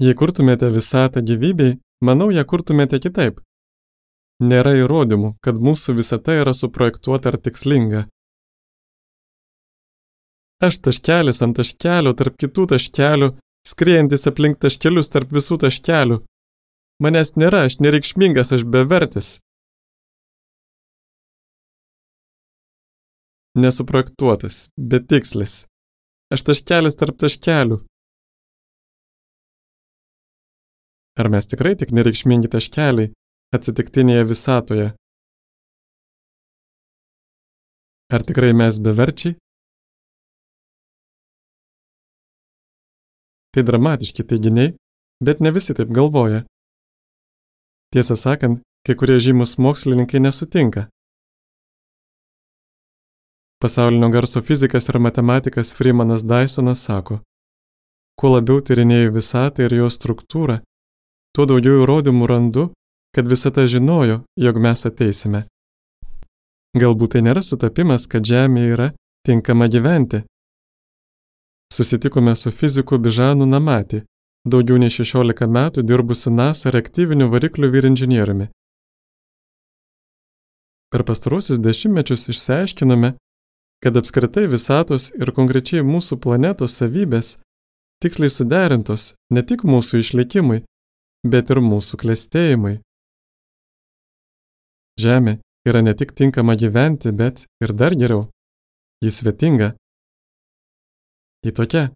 Jei kurtumėte visatą gyvybei, manau, ją kurtumėte kitaip. Nėra įrodymų, kad mūsų visata yra suprojektuota ar tikslinga. Aš taškelis ant taškelio tarp kitų taškelių, skriejantis aplink taškelius tarp visų taškelių. Manęs nėra, aš nereikšmingas, aš bevertis. Nesuprojektuotas, betikslis. Aš taškelis tarp taškelių. Ar mes tikrai tik nereikšmingi taškeliai atsitiktinėje visatoje? Ar tikrai mes beverčiai? Tai dramatiški teiginiai, bet ne visi taip galvoja. Tiesą sakant, kai kurie žymus mokslininkai nesutinka. Pasaulinio garso fizikas ir matematikas Freemanas Dysonas sako, kuo labiau tyrinėju visatą ir jos struktūrą, tuo daugiau įrodymų randu, kad visata žinojo, jog mes ateisime. Galbūt tai nėra sutapimas, kad Žemė yra tinkama gyventi. Susitikome su fiziku Bižanu Namati, daugiau nei 16 metų dirbusiu NASA reaktyvinių variklių vyrinžinieriumi. Per pastaruosius dešimtmečius išsiaiškinome, kad apskritai visatos ir konkrečiai mūsų planetos savybės tiksliai suderintos ne tik mūsų išlikimui, bet ir mūsų klestėjimui. Žemė yra ne tik tinkama gyventi, bet ir dar geriau. Ji svetinga. Ji tokia.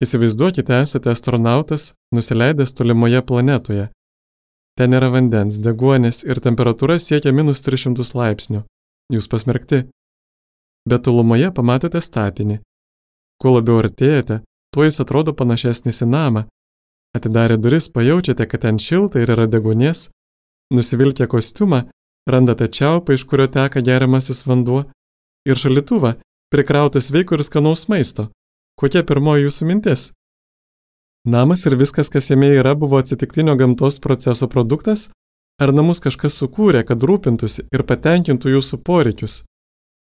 Įsivaizduokite, esate astronautas, nusileidęs tolimoje planetoje. Ten yra vandens, deguonies ir temperatūra siekia -300 laipsnių. Jūs pasmerkti. Bet tolumoje pamatote statinį. Kuo labiau artėjate, tuo jis atrodo panašesnis į namą. Atidarę duris pajaučiate, kad ten šilta ir yra deguonies. Nusivilkę kostiumą, randate čiaupą, iš kurio teka geriamasis vanduo, ir šaldytuvą, prikrautą sveiko ir skanaus maisto. Kokia pirmoji jūsų mintis? Namas ir viskas, kas jame yra, buvo atsitiktinio gamtos proceso produktas? Ar namus kažkas sukūrė, kad rūpintųsi ir patenkintų jūsų poreikius?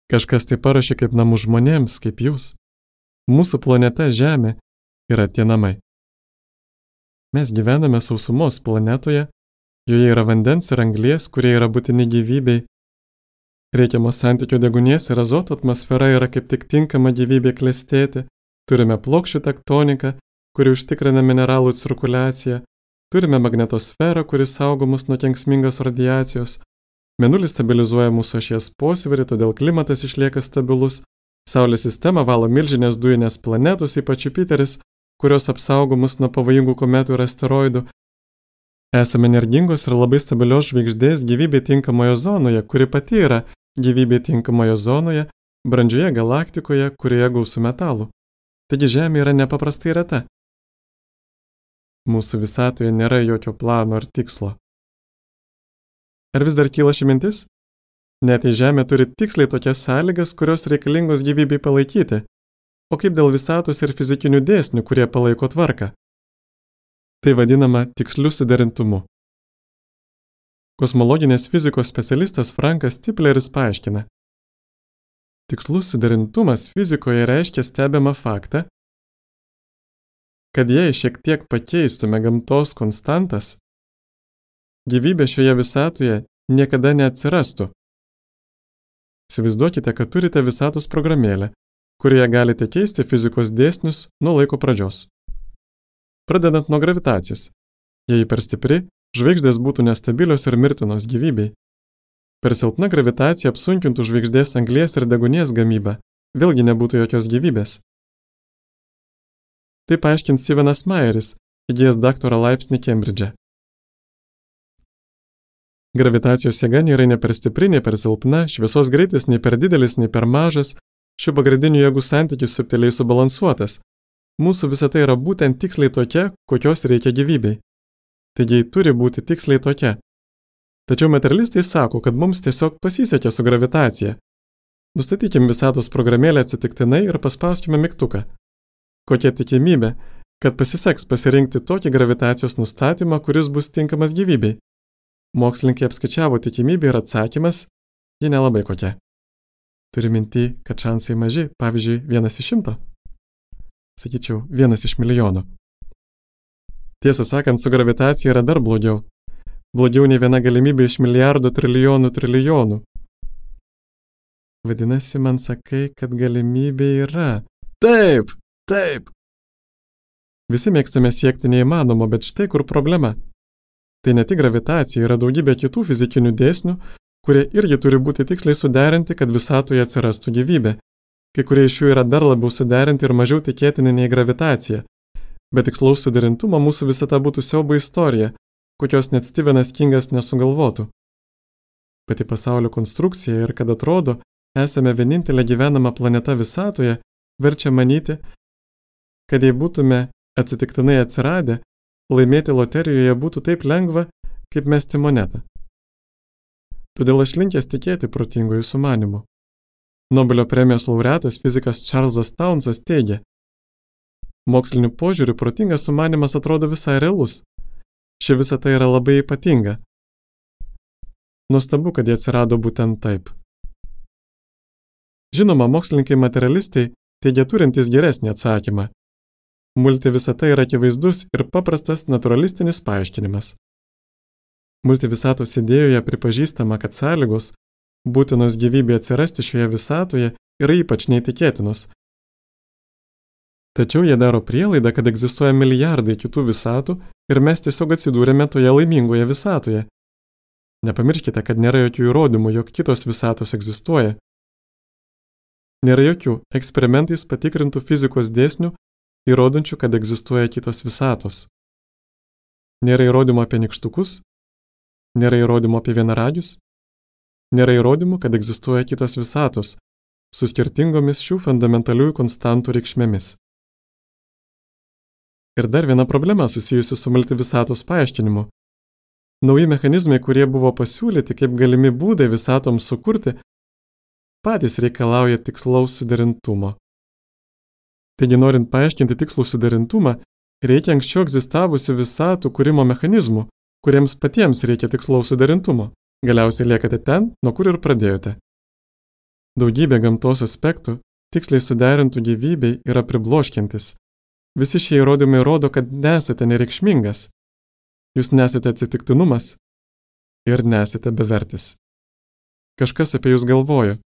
Kažkas tai paruošė kaip namų žmonėms, kaip jūs. Mūsų planeta Žemė yra tie namai. Mes gyvename sausumos planetoje, joje yra vandens ir anglies, kurie yra būtini gyvybei. Reikiamos santykio deguonies ir azoto atmosfera yra kaip tik tinkama gyvybė klestėti. Turime plokščių tektoniką, kuri užtikrina mineralų cirkuliaciją. Turime magnetosferą, kuri saugo mus nuo kenksmingos radiacijos. Mėnulis stabilizuoja mūsų ašies posvyrį, todėl klimatas išlieka stabilus. Saulės sistema valo milžinės dujinės planetos, ypač Jupiteris, kurios apsaugo mus nuo pavojingų kometų ir asteroidų. Esame energingos ir labai stabilios žvaigždės gyvybė tinkamoje zonoje, kuri pati yra gyvybė tinkamoje zonoje, brandžioje galaktikoje, kurioje gausu metalų. Taigi Žemė yra nepaprastai reta. Mūsų visatoje nėra jokio plano ar tikslo. Ar vis dar kyla ši mintis? Net jei Žemė turi tiksliai tokias sąlygas, kurios reikalingos gyvybei palaikyti. O kaip dėl visatos ir fizikinių dėsnių, kurie palaiko tvarką? Tai vadinama tiksliu suderintumu. Kosmologinės fizikos specialistas Frankas Tipleris paaiškina. Tikslus suderintumas fizikoje reiškia stebimą faktą, kad jei šiek tiek pakeistume gamtos konstantas, gyvybė šioje visatoje niekada neatsirastų. Įsivaizduokite, kad turite visatos programėlę, kurioje galite keisti fizikos dėsnius nuo laiko pradžios. Pradedant nuo gravitacijos. Jei per stipri, žvaigždės būtų nestabilios ir mirtinos gyvybei. Per silpna gravitacija apsunkintų žvaigždės anglies ir deguonies gamybą, vėlgi nebūtų jokios gyvybės. Tai paaiškins Stevenas Mayeris, įgijęs daktaro laipsnį Kembridže. Gravitacijos jėga nėra nei per stipri, nei per silpna, šviesos greitis nei per didelis, nei per mažas, šių pagrindinių jėgų santykis subtiliai subalansuotas. Mūsų visata yra būtent tiksliai tokia, kokios reikia gyvybei. Taigi turi būti tiksliai tokia. Tačiau materialistai sako, kad mums tiesiog pasisekė su gravitacija. Nustatykim visatos programėlę atsitiktinai ir paspauskime mygtuką. Kokia tikimybė, kad pasiseks pasirinkti tokį gravitacijos nustatymą, kuris bus tinkamas gyvybei? Mokslininkai apskaičiavo tikimybę ir atsakymas, ji nelabai kokia. Turi minty, kad šansai maži, pavyzdžiui, 1 iš 100? Sakyčiau, 1 iš milijono. Tiesą sakant, su gravitacija yra dar blogiau. Blogiau nei viena galimybė iš milijardų trilijonų. Vadinasi, man sakai, kad galimybė yra. Taip. Visi mėgstame siekti neįmanomo, bet štai kur problema. Tai ne tik gravitacija, yra daugybė kitų fizikinių dėsnių, kurie irgi turi būti tiksliai suderinti, kad visatoje atsirastų gyvybė. Kai kurie iš jų yra dar labiau suderinti ir mažiau tikėtini nei gravitacija. Bet tikslaus suderintumo mūsų visata būtų siaubo istorija, kokios net Stevenas Kingas nesugalvotų. Pati pasaulio konstrukcija ir kad atrodo, esame vienintelė gyvenama planeta visatoje, verčia manyti, kad jei būtume atsitiktinai atsiradę, laimėti loterijoje būtų taip lengva, kaip mesti monetą. Todėl aš linkęs tikėti protingųjų sumanimų. Nobelio premijos laureatas fizikas Charlesas Townsas teigia, moksliniu požiūriu protingas sumanimas atrodo visai realus. Ši visata yra labai ypatinga. Nuostabu, kad jie atsirado būtent taip. Žinoma, mokslininkai materialistai teigia turintys geresnį atsakymą. Multivisata yra akivaizdus ir paprastas naturalistinis paaiškinimas. Multivisatos idėjoje pripažįstama, kad sąlygos, būtinos gyvybė atsirasti šioje visatoje, yra ypač neįtikėtinos. Tačiau jie daro prielaidą, kad egzistuoja milijardai kitų visatų ir mes tiesiog atsidūrėme toje laimingoje visatoje. Nepamirškite, kad nėra jokių įrodymų, jog kitos visatos egzistuoja. Nėra jokių eksperimentais patikrintų fizikos dėsnių, įrodančių, kad egzistuoja kitos visatos. Nėra įrodymų apie nykštukus, nėra įrodymų apie vienaragius, nėra įrodymų, kad egzistuoja kitos visatos, su skirtingomis šių fundamentaliųjų konstantų reikšmėmis. Ir dar viena problema susijusi su multivisatos paaiškinimu. Nauji mechanizmai, kurie buvo pasiūlyti kaip galimi būdai visatoms sukurti, patys reikalauja tikslaus suderintumo. Taigi, norint paaiškinti tikslų suderintumą, reikia anksčiau egzistavusių visatų kūrimo mechanizmų, kuriems patiems reikia tikslaus suderintumo. Galiausiai liekate ten, nuo kur ir pradėjote. Daugybė gamtos aspektų, tiksliai suderintų gyvybei, yra pribloškiantis. Visi šie įrodymai rodo, kad nesate nereikšmingas. Jūs nesate atsitiktinumas ir nesate bevertis. Kažkas apie jūs galvojo.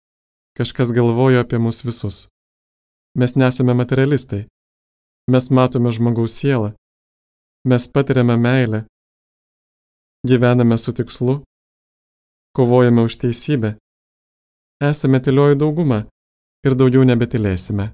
Kažkas galvojo apie mus visus. Mes nesame materialistai. Mes matome žmogaus sielą. Mes patiriame meilę. Gyvename su tikslu. Kovojame už teisybę. Esame tylioji dauguma ir daugiau nebetylėsime.